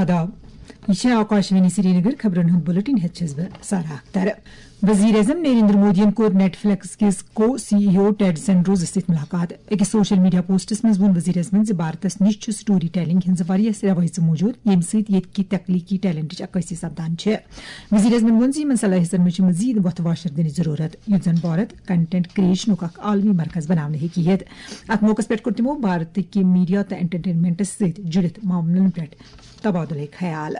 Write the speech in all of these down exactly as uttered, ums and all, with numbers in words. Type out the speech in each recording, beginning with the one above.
آداب۔ یہ چھِ آکاشوانی سرینگر۔ خبرن ہُنٛد بلیٹن ہیتھ چھَس بہٕ سارا اختر۔ وزیر اعظم نریندر مودیَن کوٚر نیٹ فلیکس کِس کو سی ای او ٹیڈ سینڈروزس سۭتۍ ملاقات۔ أکِس سوشل میڈیا پوسٹس منٛز ووٚن وزیر اعظمَن زِ بھارتس نِش چھُ سٹوری ٹیلنگ ہٕنٛز واریاہ روایژٕ موجود، ییٚمہِ سۭتۍ ییٚتہِ کہِ تخلیقی ٹیلنٹٕچ عکٲسی سپدان چھِ۔ وزیر اعظمَن ووٚن زِ یِمن صلٲحیتن منٛز چھِ مزید وۄتھٕ واشر دِنٕچ ضروٗرت، یُتھ زن بھارت کنٹینٹ کریشنُک اکھ عالمی مرکز بناونہٕ ہیٚکہِ یِتھ۔ اتھ موقعس پٮ۪ٹھ کوٚر تِمو بھارتٕکہِ میڈیا تہٕ انٹرٹینمنٹس سۭتۍ جُڑِتھ معاملن پٮ۪ٹھ تبادلہٕ خیال۔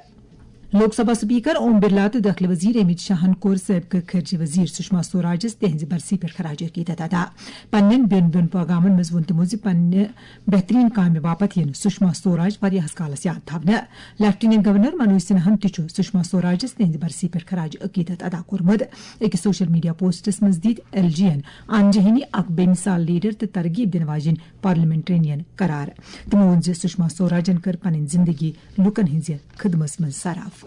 لوک سبھا سپیکر اوم برلا تہٕ دٲخلہٕ وزیر امت شاہن کوٚر سٲبقہٕ خارجہ وزیر سشما سوراجس تہنٛزِ برسی پٮ۪ٹھ خراج عقیدت ادا۔ پننٮ۪ن بیوٚن بیوٚن پیغامن منٛز ووٚن تِمو زِ پننہِ بہترین کامہِ باپتھ یِن سشما سوراج واریاہس کالس یاد تھاونہٕ۔ لیفٹیننٹ گورنر منوج سنہاہن تہِ چھُ سشما سوراجس تہنٛزِ برسی پٮ۪ٹھ خراج عقیدت ادا کوٚرمُت۔ أکِس سوشل میڈیا پوسٹس منٛز دِتۍ ایل جی ین آنجہنی اکھ بے مثال لیڈر تہٕ ترغیب دِنہٕ واجیٚنۍ پارلیمنٹرینین قرار۔ تِمو ووٚن زِ سشما سوراجن کٔر پنٕنۍ زندگی لوٗکن ہٕنٛزِ خدمژ منٛز صرف۔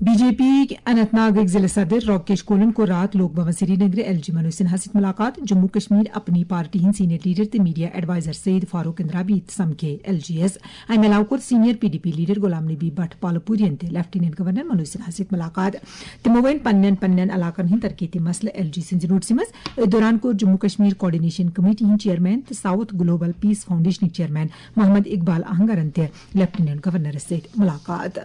بی جے پی اننت ناگٕکۍ ضلع صدر راکیش کولن کوٚر راتھ لوک بھون سرینگرٕ ایل جی منوج سنہاہَس سۭتۍ ملاقات۔ جموں کشمیر اپنی پارٹی ہٕنٛدۍ سینئر لیڈر تہٕ میڈیا ایڈوائزر سید فاروق اندرابی تہِ سمکھے ایل جی یَس۔ امہِ علاوٕ کوٚر senior P D P leader Ghulam Nabi Bhat پالپورین تہِ لیفٹیننٹ گورنر منوج سنہاہَس سۭتۍ ملاقات۔ تِمو ؤنۍ پننٮ۪ن پننٮ۪ن علاقن ہٕنٛدۍ ترقیتی مسلہٕ ایل جی سٕنٛزِ نوٹسہِ منٛز۔ أتھۍ دوران کوٚر جموں کشمیر کوآرڈینیشن کمیٹی ہٕنٛدۍ چیئرمین تہٕ ساؤتھ گلوبل پیس فاؤنڈیشنٕکۍ چیئرمین محمد اقبال اہنگرن تہِ لیفٹیننٹ گورنرس سۭتۍ ملاقات۔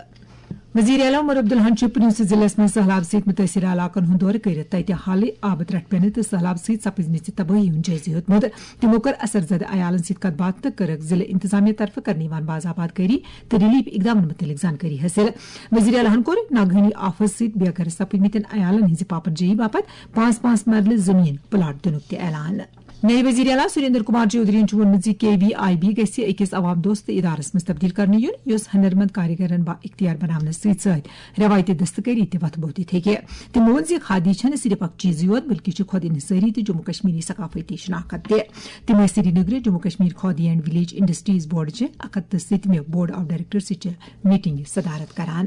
وزیر اعلیٰ عمر عبداللہن چھُ پُنچ ضلعس منٛز سٔہلاب سۭتۍ مُتٲثرٕ علاقن ہُنٛد دورٕ کٔرِتھ تَتہِ حالٕے آبہٕ ترٛٹھ پٮ۪نہٕ تہٕ سٔہلاب سۭتۍ سپٕزمٕژِ تبٲہی ہُنٛد جٲیزٕ ہیوٚتمُت۔ تِمو کٔر اثر زدٕ عیالَن سۭتۍ کَتھ باتھ تہٕ کٔرٕکھ ضلعہٕ انتظامیہ طرفہٕ کرنہٕ یِوان باضابطہ کٲری تہٕ ریلیف اقدامَن مُتعلِق زانکٲری حٲصِل۔ وزیر اعلیٰ ہَن کوٚر ناگہٲنی آفژ سۭتۍ بے گھر سپٕدمٕتٮ۪ن عیالَن ہٕنٛزِ پاپن جٲیی باپتھ پانٛژھ پانٛژھ مرلہٕ زٔمیٖن پلاٹ دِنُک تہِ اعلان۔ نئے وزیر اعلیٰ سریندر کمار چودھرین چھُ ووٚنمُت زِ کے وی آئی بی گژھِ أکِس عوام دوست ادارس منٛز تبدیل کرنہٕ یُن، یُس ہنرمند کاریگرن با اختیار بناونس سۭتۍ سۭتۍ روایتی دستکاری تہِ وتھٕ بوٚو دِتھ ہیٚکہِ۔ تٔمۍ ووٚن زِ کھادی چھنہٕ صرف اکھ چیٖزٕے یوت، بلکہِ چھِ خود انحصٲری تہٕ جموں کشمیری ثقافتی شناخت تہِ۔ تٔمۍ ٲسۍ سرینگرٕ Jammu Kashmir khadi and village industries board چہِ اکھ ہتھ تہٕ سٔتمہِ بورڈ آف ڈائریکٹر سۭتۍ چہِ میٹنگہِ صدارت کران۔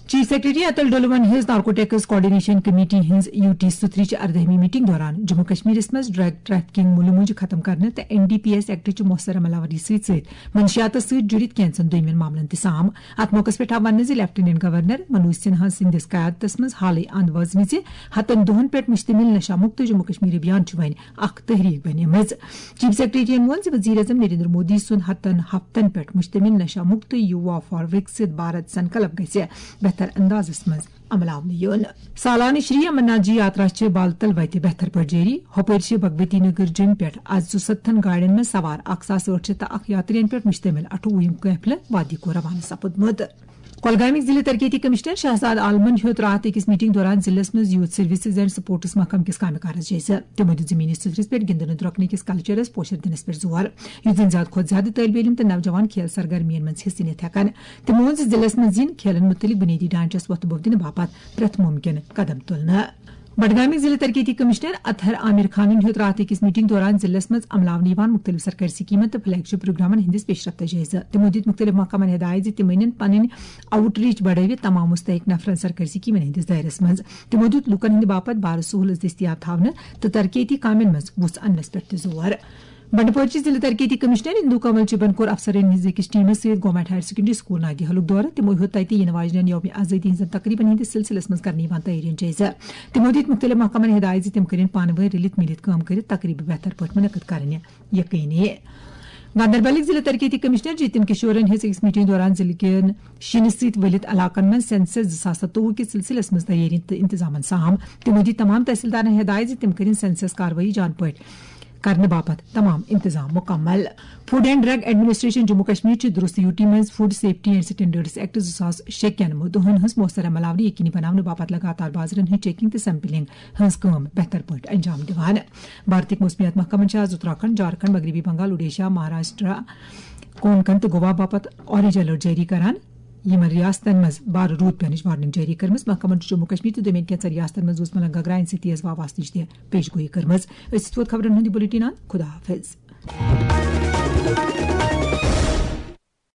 چیف سیکرٹری اتل ڈولون ہٕنٛز نارکوٹکس کوآرڈینیشن کمیٹی ہٕنٛز یو ٹی سترٕچ اردہمہِ میٹنگ دوران جموں کشمیرس منٛز ڈرگ ٹریفکنگ مُلہٕ مۄنجہِ ختم کرنہٕ تہٕ این ڈی پی ایس ایکٹٕچ مۄخصر عمل آوری سۭتۍ سۭتۍ منشیاتس سۭتۍ جُڑِتھ کینٛژن دوٚیمٮ۪ن معاملن تہِ سام۔ اتھ موقعس پٮ۪ٹھ آو وننہٕ زِ لیفٹیننٹ گورنر منوج سنہا سٕنٛدِس قیادتس منٛز حالٕے اند وٲژمٕژِ ہتن دۄہن پٮ۪ٹھ مشتمل نشہ مکت جموں کشمیر ابھیان چھُ وۄنۍ اکھ تحریک بنیمٕژ۔ چیف سیکرٹریَن ووٚن زِ وزیر اعظم نریندر مودی سُنٛد ہتن ہفتن پٮ۪ٹھ مشتمل نشہ مکت یووا فار وکسِت بھارت سنکلپ گژھِ بہتر اندازس منٛز عمل آونہٕ یُن۔ سالانہٕ شری امرناتھ جی یاترا چھِ بالتل وتہِ بہتر پٲٹھۍ جٲری۔ ہۄپٲرۍ چھِ بھگوتی نگر جیمہِ پٮ۪ٹھ آز ژُستتھن گاڑٮ۪ن منٛز سوار اکھ ساس ٲٹھ شیٚتھ تہٕ اکھ یاترین پٮ۪ٹھ مشتمل اٹھووُہِم قٲفلہٕ وادی کور روانہٕ سپُدمُت۔ کۄلگامٕکۍ ضلعہٕ ترقیتی کمشنر شہزاد عالمن ہیوٚت راتھ أکِس میٹنگ دوران ضلعس منٛز یوتھ سروسز اینڈ سپورٹس محکمہٕ کِس کامہِ کارس جٲیزٕ۔ تِمو دیُت زٔمیٖنی سطحس پٮ۪ٹھ گِنٛدنہٕ درۄکنہٕ کِس کلچرس پوشر دِنس پٮ۪ٹھ زور، یُتھ زن زیادٕ کھۄتہٕ زیادٕ طٲلبہِ علم تہٕ نوجوان کھیل سرگرمین منٛز حصہٕ نِتھ ہٮ۪کن۔ تِمو ووٚن زِ ضلعس منٛز یِن کھیلن مُتعلق بُنیٲدی ڈھانچس وۄتھٕ بوٚو دِنہٕ باپتھ پرٛٮ۪تھ مُمکِن قدم تُلنہٕ۔ بڈگامٕکۍ ضلعہٕ ترقیتی کمشنر اطہر عامر خانن ہیوٚت راتھ أکِس میٹنگ دوران ضلعس منٛز عملاونہٕ یِوان مُختٔلِف سرکٲرۍ سکیٖمن تہٕ فلیگ شپ پروگرامن ہٕنٛدِس پیش رفتس جٲیزٕ۔ تِمو دِتۍ مُختٔلِف محکمن ہدایت زِ تِم أنِن پنٕنۍ آؤٹ ریچ بڑٲوِتھ تمام مستحق نفرن سرکٲرۍ سکیٖمن ہٕنٛدِس دٲیرس منٛز۔ تِمو دیُت لوٗکن ہٕنٛدِ باپتھ بارٕ سہوٗلژ دٔستیاب تھاونہٕ تہٕ ترقیتی کامٮ۪ن منٛز وُژھ اننس پٮ۪ٹھ تہِ زور۔ بنڈپورچہِ ضلعہٕ ترقیتی کمشنر اندو کنول چبن کوٚر افسرن ہٕنٛزِ أکِس ٹیمس سۭتۍ گورنمنٹ ہائر سیکنڈری سکول نادی حلُک دورٕ۔ تِمو ہیوٚت تتہِ یِنہٕ واجنٮ۪ن یوم آزٲدی ہٕنٛزن تقریبن ہٕنٛدِس سلسلس منٛز کرنہٕ یِوان تیٲرین جٲیزٕ۔ تِمو دِتۍ مُختٔلِف محکمن ہدایت زِ تِم کٔرِن پانہٕ وٲنۍ رٔلِتھ مِلِتھ کٲم کٔرِتھ تقریبہٕ بہتر پٲٹھۍ منعقد کرٕنۍ یقینی۔ گاندربلٕکۍ ضلعہٕ ترقیتی کمشنر جتن کشورن ہیٚژ أکِس میٹنگ دوران ضلعہٕ کٮ۪ن شیٖنہٕ سۭتۍ ؤلِتھ علاقن منٛز سینسس زٕ ساس ستووُہ کِس سلسلس منٛز تیٲری تہٕ انتظامن سام۔ تِمو دِتۍ تمام تحصیلدارن ہدایت زِ تِم کٔرِن سینسس کاروٲیی جان پٲٹھۍ کرنہٕ باپتھ تمام انتظام مکمل۔ Food and drug administration Jammu Kashmir چھِ درست یو ٹی منٛز food safety and standards act زٕ ساس شےٚ کٮ۪ن مُدعن ہٕنٛز مؤثر عمل آوری یقینی بناونہٕ باپتھ لگاتار بازرن ہٕنٛز چیکنگ تہٕ سیمپلنگ ہٕنٛز کٲم بہتر پٲٹھۍ انجام دِوان۔ بھارتٕکۍ موسمیات محکمن چھِ آز اتراکھنڈ، جھارکھنڈ، مغربی بنگال، اوڈیشہ، مہاراشٹرا، کونکن تہٕ گوا باپتھ اورنج الرٹ جٲری کران۔ یِمن ریاستن منٛز بارٕ روٗد پینٕچ وارننگ جٲری کٔرمٕژ۔ محکمن چھُ جموں کشمیر تہٕ دوٚیمٮ۪ن کینٛژن ریاستن منٛز وُزملن گگراین سۭتۍ تیز واوٕ آسنٕچ تہِ پیش گویی کٔرمٕژ۔ أسۍ چھِ تھوٚد خبرن ہُنٛد یہِ بُلیٹن اند۔ خدا حافظ۔